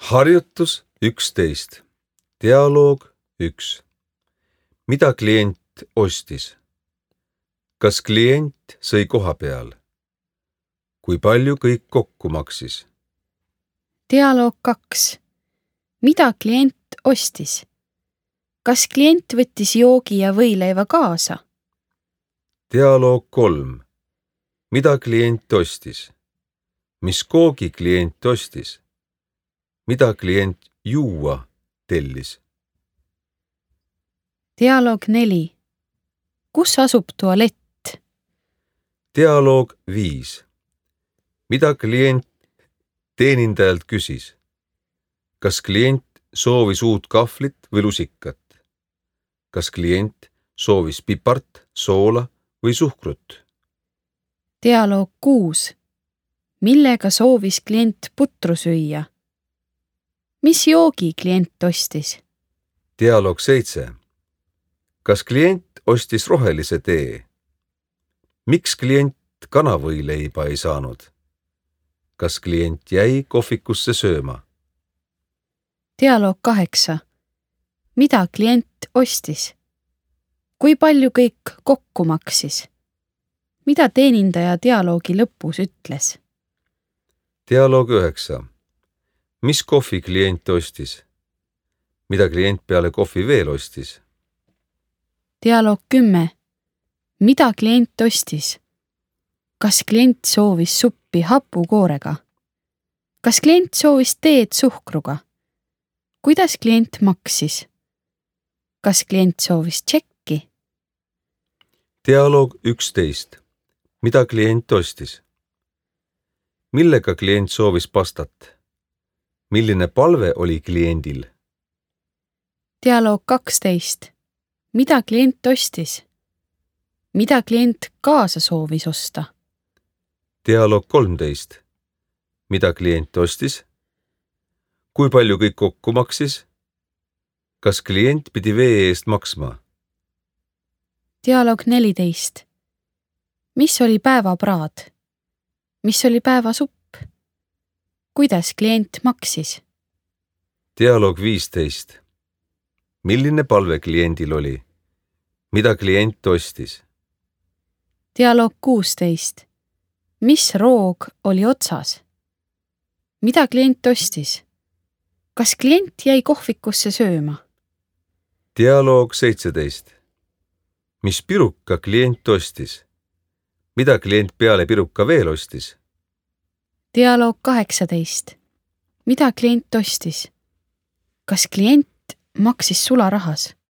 Harjutus 11. Dialoog 1. Mida klient ostis? Kas klient sõi koha peal? Kui palju kõik kokku maksis? Dialoog 2. Mida klient ostis? Kas klient võttis joogi ja võileiva kaasa? Dialoog 3. Mida klient ostis? Mis koogi klient ostis? Mida klient juua tellis? Dialoog 4. Kus asub tualett? Dialoog 5. Mida klient teenindajalt küsis? Kas klient soovis uut kahvlit või lusikat? Kas klient soovis pipart, soola või suhkrut? Dialoog 6. Millega soovis klient putru süüa? Mis joogi klient ostis? Dialoog 7. Kas klient ostis rohelise tee? Miks klient kanavõileiba ei saanud? Kas klient jäi kohvikusse sööma? Dialoog 8. Mida klient ostis? Kui palju kõik kokku maksis? Mida teenindaja dialoogi lõpus ütles? Dialoog 9. Mis kohvi klient ostis? Mida klient peale kohvi veel ostis? Dialoog 10. Mida klient ostis? Kas klient soovis suppi hapukoorega? Kas klient soovis teed suhkruga? Kuidas klient maksis? Kas klient soovis tšekki? Dialoog 11. Mida klient ostis? Millega klient soovis pastat? Milline palve oli kliendil? Dialoog 12. Mida klient ostis? Mida klient kaasa soovis osta? Dialoog 13. Mida klient ostis? Kui palju kõik kokku maksis? Kas klient pidi vee eest maksma? Dialoog 14. Mis oli päevapraad? Mis oli päevasupp? Kuidas klient maksis? Dialoog 15. Milline palve kliendil oli? Mida klient ostis? Dialoog 16. Mis roog oli otsas? Mida klient ostis? Kas klient jäi kohvikusse sööma? Dialoog 17. Mis piruka klient ostis? Mida klient peale piruka veel ostis? Dialoog 18. Mida klient ostis? Kas klient maksis sularahas?